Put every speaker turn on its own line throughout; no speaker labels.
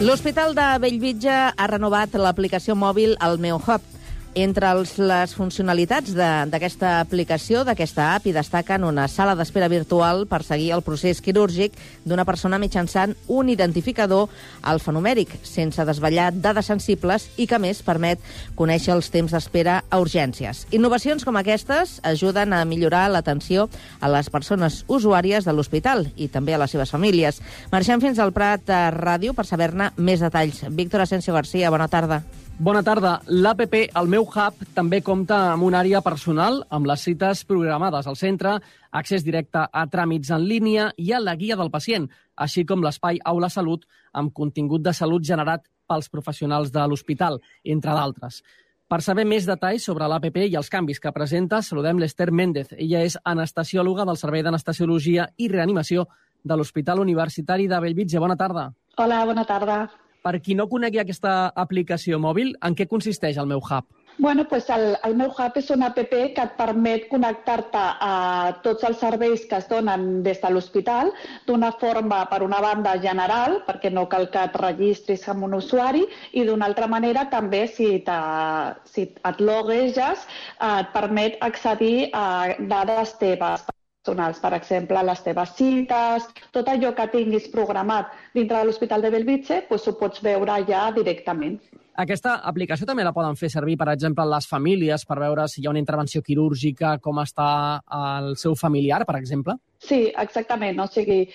L'Hospital de Bellvitge ha renovat l'aplicació mòbil El meu Hub. Entre les funcionalitats d'aquesta aplicació, d'aquesta app, hi destaquen una sala d'espera virtual per seguir el procés quirúrgic d'una persona mitjançant un identificador alfanumèric, sense desvetllar dades sensibles i que, a més, permet conèixer els temps d'espera a urgències. Innovacions com aquestes ajuden a millorar l'atenció a les persones usuàries de l'hospital i també a les seves famílies. Marxem fins al Prat Ràdio per saber-ne més detalls. Víctor Asensio García, bona tarda.
Bona tarda. L'APP El meu Hub també compta amb una àrea personal amb les cites programades al centre, accés directe a tràmits en línia i a la guia del pacient, així com l'espai Aula Salut amb contingut de salut generat pels professionals de l'hospital, entre d'altres. Per saber més detalls sobre l'APP i els canvis que presenta, saludem l'Ester Méndez. Ella és anestesiòloga del Servei d'Anestesiologia i Reanimació de l'Hospital Universitari de Bellvitge. Bona tarda.
Hola, bona tarda.
Per qui no conegui aquesta aplicació mòbil, en què consisteix el meu Hub?
Bueno, pues el meu Hub és una app que et permet connectar-te a tots els serveis que es donen des de l'hospital d'una forma, per una banda, general, perquè no cal que et registris amb un usuari, i d'una altra manera també, si et logueges, et permet accedir a dades teves personals, per exemple, les teves cites, tot allò que tinguis programat dintre de l'Hospital de Bellvitge, doncs ho pots veure ja directament.
Aquesta aplicació també la poden fer servir, per exemple, les famílies per veure si hi ha una intervenció quirúrgica, com està el seu familiar, per exemple?
Sí, exactament. O sigui,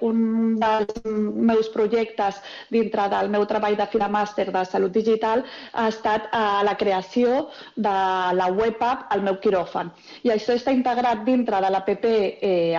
un dels meus projectes dintre del meu treball de fi de màster de Salut Digital ha estat la creació de la web app El meu quiròfan. I això està integrat dintre de l'APP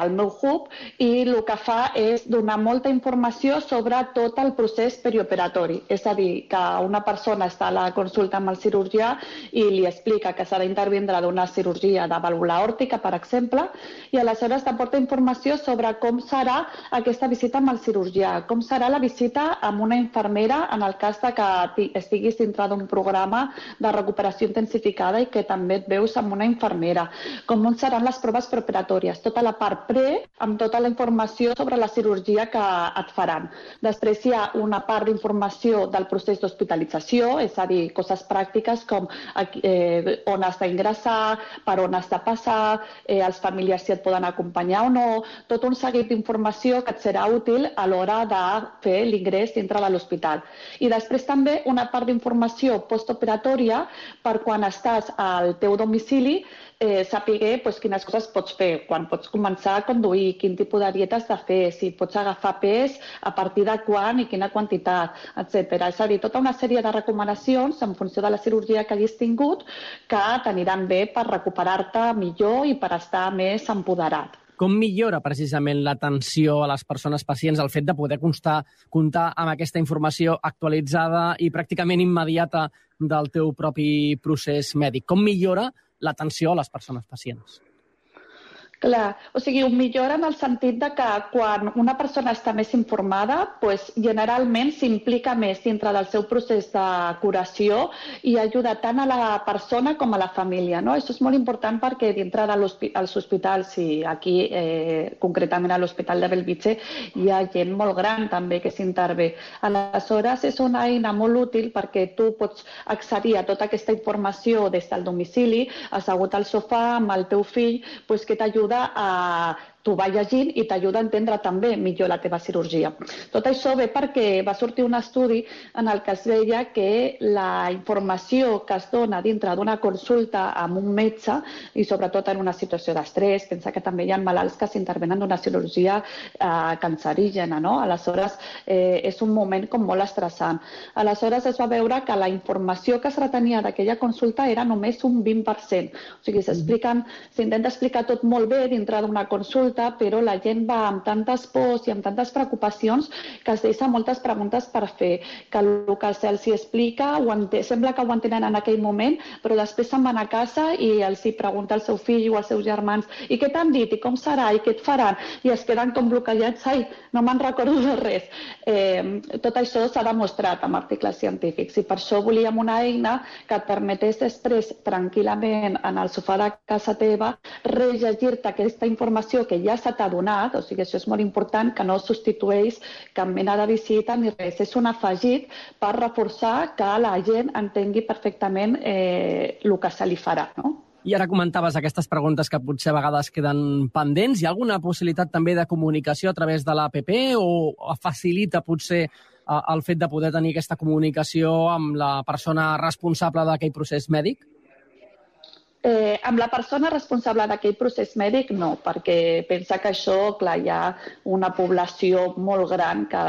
El meu Hub i el que fa és donar molta informació sobre tot el procés perioperatori. És a dir, que una persona està a la consulta amb el cirurgià i li explica que s'ha d'intervindre d'una cirurgia de vàlvula aòrtica, per exemple, i aleshores aporta informació sobre com serà aquesta visita amb el cirurgià, com serà la visita amb una infermera en el cas que estiguis dintre d'un programa de recuperació intensificada i que també et veus amb una infermera, com seran les proves preparatòries, tota la part pre, amb tota la informació sobre la cirurgia que et faran. Després hi ha una part d'informació del procés d'hospitalització, és a dir, coses pràctiques com on has d'ingressar, per on has de passar, els familiars si et poden acompanyar o no, tot un seguit d'informació que et serà útil a l'hora de fer l'ingrés dintre de l'hospital. I després també una part d'informació postoperatòria per quan estàs al teu domicili, saber quines coses pots fer, quan pots començar a conduir, quin tipus de dieta has de fer, si pots agafar pes, a partir de quan i quina quantitat, etc. És a dir, tota una sèrie de recomanacions en funció de la cirurgia que hagis tingut que t'aniran bé per recuperar-te millor i per estar més empoderat.
Com millora precisament l'atenció a les persones pacients el fet de poder comptar amb aquesta informació actualitzada i pràcticament immediata del teu propi procés mèdic? Com millora l'atenció a les persones pacients?
Clar, o sigui, ho millora en el sentit de que quan una persona està més informada, generalment s'implica més dintre del seu procés de curació i ajuda tant a la persona com a la família. Això és molt important perquè dintre dels hospitals, i aquí concretament a l'Hospital de Bellvitge, hi ha gent molt gran també que s'intervé. Aleshores, és una eina molt útil perquè tu pots accedir a tota aquesta informació des del domicili, assegut al sofà amb el teu fill, que t'ajuda t'ho va llegint i t'ajuda a entendre també millor la teva cirurgia. Tot això ve perquè va sortir un estudi en el que es veia que la informació que es dona dintre d'una consulta amb un metge, i sobretot en una situació d'estrès, pensa que també hi ha malalts que s'intervenen d'una cirurgia cancerígena, no? Aleshores, és un moment com molt estressant. Aleshores, es va veure que la informació que es retenia d'aquella consulta era només un 20%. O sigui, s'intenta explicar tot molt bé dintre d'una consulta, però la gent va amb tantes pors i amb tantes preocupacions que es deixa moltes preguntes per fer, que el que se'ls explica sembla que ho entenen en aquell moment, però després se'n van a casa i els hi pregunta al seu fill o als seus germans i què t'han dit, i com serà, i què et faran, i es queden com bloquejats, ai, no me'n recordo de res. Tot això s'ha demostrat amb articles científics i per això volíem una eina que et permetés després tranquil·lament en el sofà de casa teva rellegir-te aquesta informació que ja s'ha adonat, o sigui, això és molt important, que no substitueix cap mena de visita ni res. És un afegit per reforçar que la gent entengui perfectament el que se li farà, no?
I ara comentaves aquestes preguntes que potser a vegades queden pendents. Hi ha alguna possibilitat també de comunicació a través de l'APP o facilita potser el fet de poder tenir aquesta comunicació amb la persona responsable d'aquell procés mèdic?
Amb la persona responsable d'aquell procés mèdic no, perquè pensa que això, clar, hi ha una població molt gran que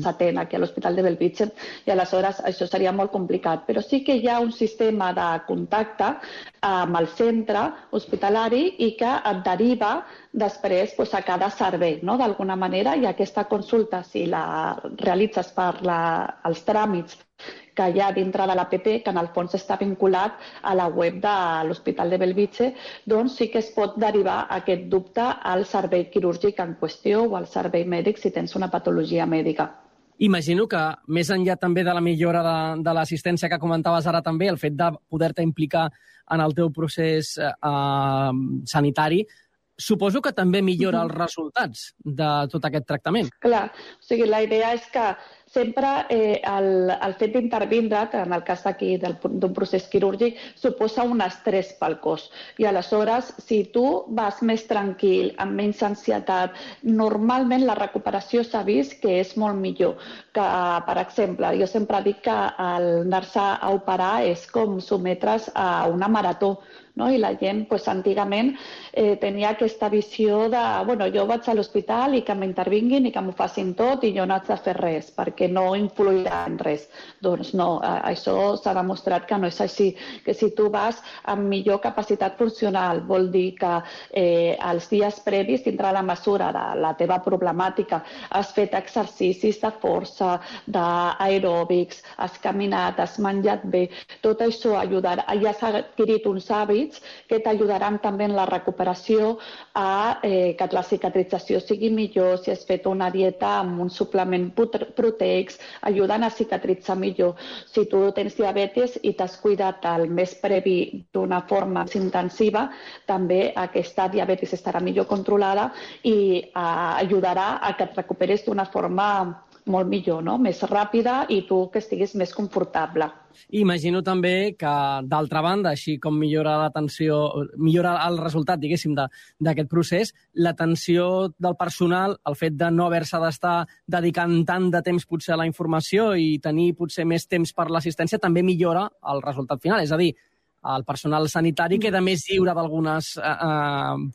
s'atén aquí a l'Hospital de Bellvitge i aleshores això seria molt complicat. Però sí que hi ha un sistema de contacte amb el centre hospitalari i que et deriva després a cada servei, no? D'alguna manera, i aquesta consulta, si la realitzes per els tràmits que hi ha dintre de l'APP, que en el fons està vinculat a la web de l'Hospital de Bellvitge, doncs sí que es pot derivar aquest dubte al servei quirúrgic en qüestió o al servei mèdic si tens una patologia mèdica.
Imagino que, més enllà també de la millora de l'assistència que comentaves ara també, el fet de poder-te implicar en el teu procés sanitari, suposo que també millora els resultats de tot aquest tractament.
Clar, o sigui, la idea és que sempre el fet d'intervindre, en el cas d'aquí d'un procés quirúrgic, suposa un estrès pel cos. I aleshores, si tu vas més tranquil, amb menys ansietat, normalment la recuperació s'ha vist que és molt millor. Que, per exemple, jo sempre dic que el anar-se a operar és com sotmetre's a una marató, no? I la gent, antigament, tenia aquesta visió de, jo vaig a l'hospital i que m'intervinguin i que m'ho facin tot i jo no haig de fer res, perquè no influirà en res. Doncs no, això s'ha demostrat que no és així, que si tu vas amb millor capacitat funcional, vol dir que els dies previs, dintre la mesura de la teva problemàtica, has fet exercicis de força, d'aeròbics, has caminat, has menjat bé, tot això ajudarà, ja has adquirit uns hàbits que t'ajudaran també en la recuperació a que la cicatrització sigui millor, si has fet una dieta amb un suplement proteic, ajuden a cicatritzar millor. Si tu tens diabetis i t'has cuidat el mes previ d'una forma més intensiva, també aquesta diabetis estarà millor controlada i ajudarà a que et recuperes d'una forma molt millor, no? Més ràpida i tu que estiguis més confortable.
Imagino també que, d'altra banda, així com millora l'atenció, millora el resultat, diguéssim, d'aquest procés, l'atenció del personal, el fet de no haver-se d'estar dedicant tant de temps potser a la informació i tenir potser més temps per l'assistència, també millora el resultat final. És a dir, el personal sanitari queda més lliure d'algunes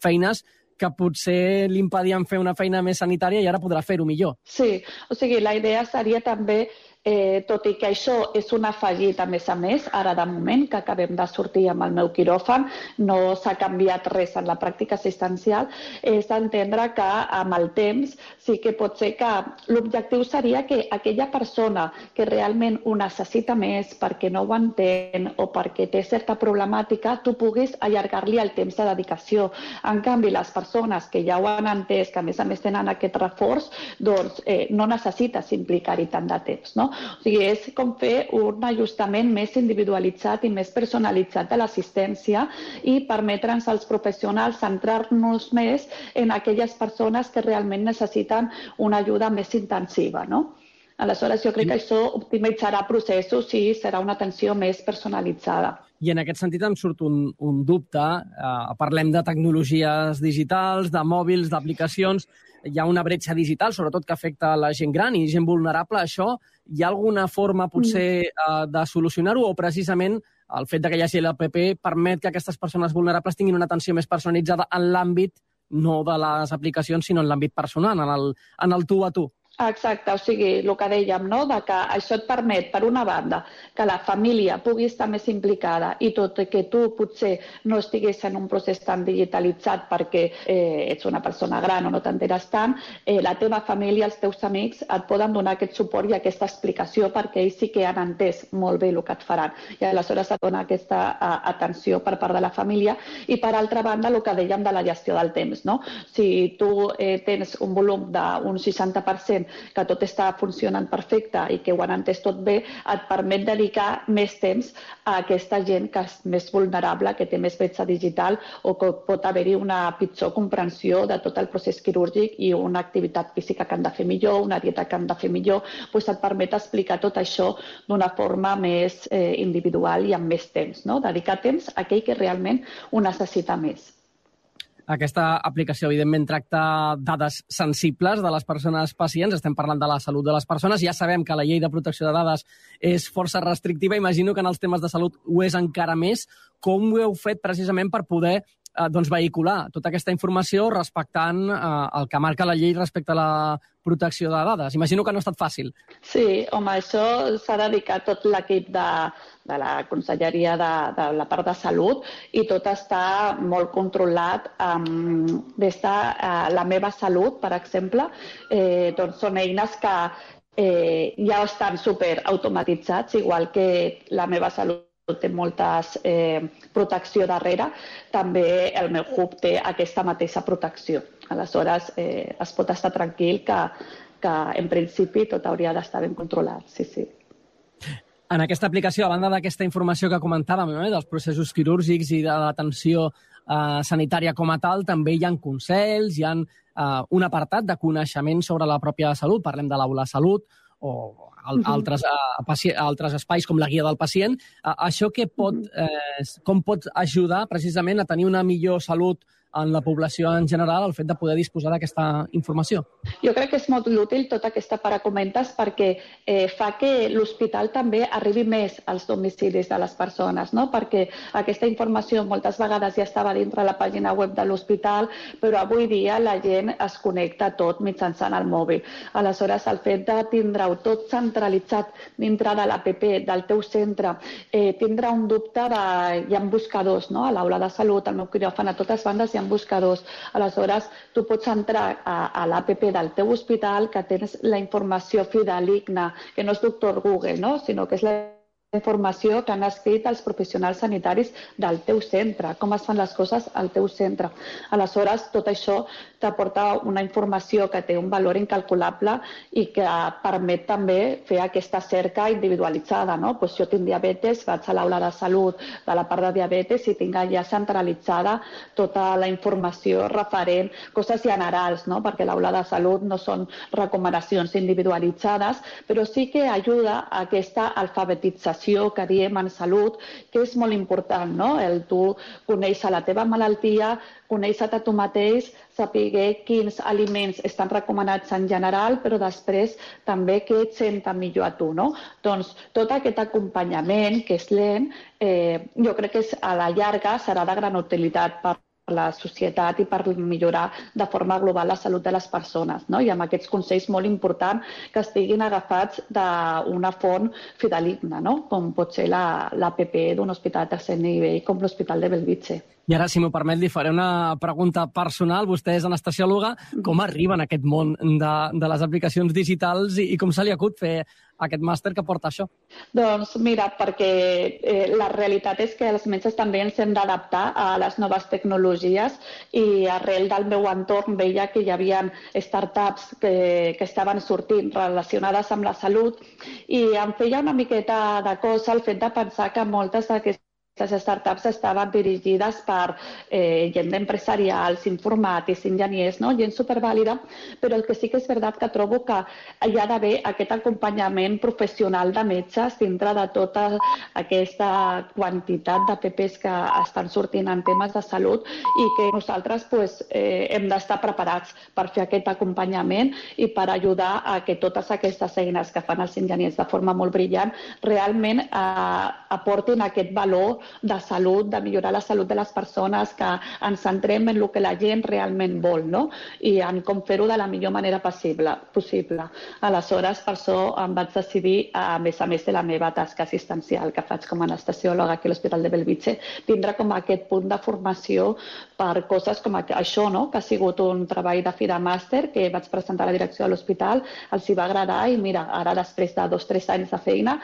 feines que potser li impedien fer una feina més sanitària i ara podrà fer-ho millor.
Sí, o sigui, la idea seria també, tot i que això és un afegit a més, ara de moment, que acabem de sortir amb el meu quiròfan, no s'ha canviat res en la pràctica assistencial, és d'entendre que amb el temps sí que pot ser que l'objectiu seria que aquella persona que realment ho necessita més perquè no ho entén o perquè té certa problemàtica, tu puguis allargar-li el temps de dedicació. En canvi, les persones que ja ho han entès, que a més tenen aquest reforç, doncs no necessites implicar-hi tant de temps, no? O sigui, és com fer un ajustament més individualitzat i més personalitzat de l'assistència i permetre'ns als professionals centrar-nos més en aquelles persones que realment necessiten una ajuda més intensiva, no? Aleshores, jo crec que això optimitzarà processos i serà una atenció més personalitzada.
I en aquest sentit em surt un dubte. Parlem de tecnologies digitals, de mòbils, d'aplicacions. Hi ha una bretxa digital, sobretot que afecta a la gent gran i gent vulnerable. Això, hi ha alguna forma potser de solucionar-ho o precisament el fet que hi hagi l'APP permet que aquestes persones vulnerables tinguin una atenció més personalitzada en l'àmbit no de les aplicacions, sinó en l'àmbit personal, en el tu a tu?
Exacte, o sigui, el que dèiem, no? De que això et permet, per una banda, que la família pugui estar més implicada i tot i que tu potser no estiguis en un procés tan digitalitzat perquè ets una persona gran o no t'enteres tant, la teva família, els teus amics et poden donar aquest suport i aquesta explicació perquè ells sí que han entès molt bé el que et faran. I aleshores et dona aquesta atenció per part de la família i, per altra banda, el que dèiem de la gestió del temps, no? Si tu tens un volum d'un 60% que tot està funcionant perfecte i que ho han entès tot bé, et permet dedicar més temps a aquesta gent que és més vulnerable, que té més bretxa digital o que pot haver-hi una pitjor comprensió de tot el procés quirúrgic i una activitat física que han de fer millor, una dieta que han de fer millor, doncs et permet explicar tot això d'una forma més individual i amb més temps, no? Dedicar temps a aquell que realment ho necessita més.
Aquesta aplicació, evidentment, tracta dades sensibles de les persones pacients. Estem parlant de la salut de les persones. Ja sabem que la llei de protecció de dades és força restrictiva. Imagino que en els temes de salut ho és encara més. Com ho heu fet precisament per poder vehicular tota aquesta informació respectant el que marca la llei respecte a la protecció de dades? Imagino que no ha estat fàcil.
Sí, home, això s'ha dedicat tot l'equip de la Conselleria de la part de salut i tot està molt controlat des de la meva salut, per exemple. Doncs són eines que ja estan superautomatitzats, igual que la meva salut té moltes protecció darrere, també el meu hub té aquesta mateixa protecció. Aleshores, es pot estar tranquil que en principi tot hauria d'estar ben controlat, sí.
En aquesta aplicació, a banda d'aquesta informació que comentàvem, dels processos quirúrgics i de l'atenció sanitària com a tal, també hi ha consells, hi ha un apartat de coneixement sobre la pròpia salut. Parlem de l'aula salut o altres espais com la guia del pacient. Això com pot ajudar precisament a tenir una millor salut en la població en general, el fet de poder disposar d'aquesta informació?
Jo crec que és molt útil tota aquesta part que comentes perquè fa que l'hospital també arribi més als domicilis de les persones, no? Perquè aquesta informació moltes vegades ja estava dintre la pàgina web de l'hospital, però avui dia la gent es connecta tot mitjançant el mòbil. Aleshores, el fet de tindre-ho tot centralitzat dintre de l'APP del teu centre, tindre un dubte hi ha buscadors, no? A l'aula de salut, al meu quiròfan, a totes bandes hi ha buscadors. Aleshores, tu pots entrar a l'APP del teu hospital, que tens la informació fidedigna, que no és doctor Google, no? Sinó que és la informació que han escrit els professionals sanitaris del teu centre, com es fan les coses al teu centre. Aleshores, tot això t'aporta una informació que té un valor incalculable i que permet també fer aquesta cerca individualitzada, no? Pues jo tinc diabetes, vaig a l'aula de salut de la part de diabetes i tinc ja centralitzada tota la informació referent, coses generals, no? Perquè l'aula de salut no són recomanacions individualitzades, però sí que ajuda a aquesta alfabetització que diem en salut, que és molt important, no? El tu conèixer la teva malaltia, conèixer-te tu mateix, saber quins aliments estan recomanats en general, però després també què et senta millor a tu, no? Doncs tot aquest acompanyament, que és lent, jo crec que a la llarga serà de gran utilitat per la societat i per millorar de forma global la salut de les persones, no? I amb aquests consells molt importants que estiguin agafats d'una font fidedigna, no? Com pot ser l'APP d'un hospital de tercer nivell com l'Hospital de Bellvitge.
I ara, si m'ho permet, li faré una pregunta personal. Vostè és anestesiòloga. Com arriba en aquest món de les aplicacions digitals i com se li acut fer aquest màster que porta això?
Doncs mira, perquè la realitat és que els metges també ens hem d'adaptar a les noves tecnologies i arrel del meu entorn veia que hi havia startups que estaven sortint relacionades amb la salut i em feia una miqueta de cosa el fet de pensar que moltes d'aquestes les startups estaven dirigides per gent empresarials, informàtics, enginyers, no? Gent supervàlida, però el que sí que és veritat que trobo que hi ha d'haver aquest acompanyament professional de metges dintre de tota aquesta quantitat d'APPs que estan sortint en temes de salut i que nosaltres hem d'estar preparats per fer aquest acompanyament i per ajudar a que totes aquestes eines que fan els enginyers de forma molt brillant realment aportin aquest valor de salut, de millorar la salut de les persones, que ens centrem en el que la gent realment vol, no? I en com fer-ho de la millor manera possible. Aleshores, per això em vaig decidir, a més de la meva tasca assistencial que faig com a anestesiòloga aquí a l'Hospital de Bellvitge, tindre com aquest punt de formació per coses com això, no? Que ha sigut un treball de fi de màster que vaig presentar a la direcció de l'hospital, els hi va agradar i mira, ara després de 2 o 3 anys de feina,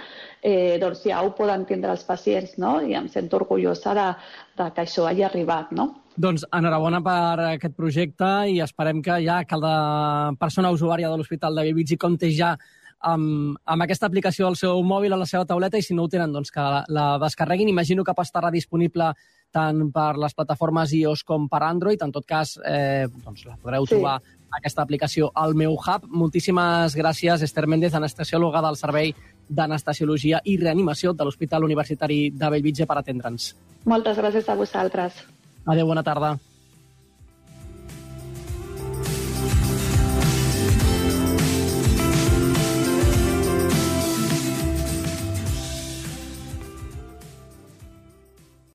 doncs ja ho poden tindre els pacients, no? I em sento orgullosa de que això hagi arribat, no?
Doncs enhorabona per aquest projecte i esperem que ja cada persona usuària de l'Hospital de Bellvitge compti ja amb aquesta aplicació al seu mòbil, a la seva tauleta, i si no ho tenen, doncs que la descarreguin. Imagino que estarà disponible tant per les plataformes iOS com per Android. En tot cas, doncs la podreu trobar aquesta aplicació al meu Hub. Moltíssimes gràcies, Esther Méndez, anestesiòloga del Servei d'Anestesiologia i Reanimació de l'Hospital Universitari de Bellvitge, per atendre'ns.
Moltes gràcies a vosaltres.
Adéu, bona tarda.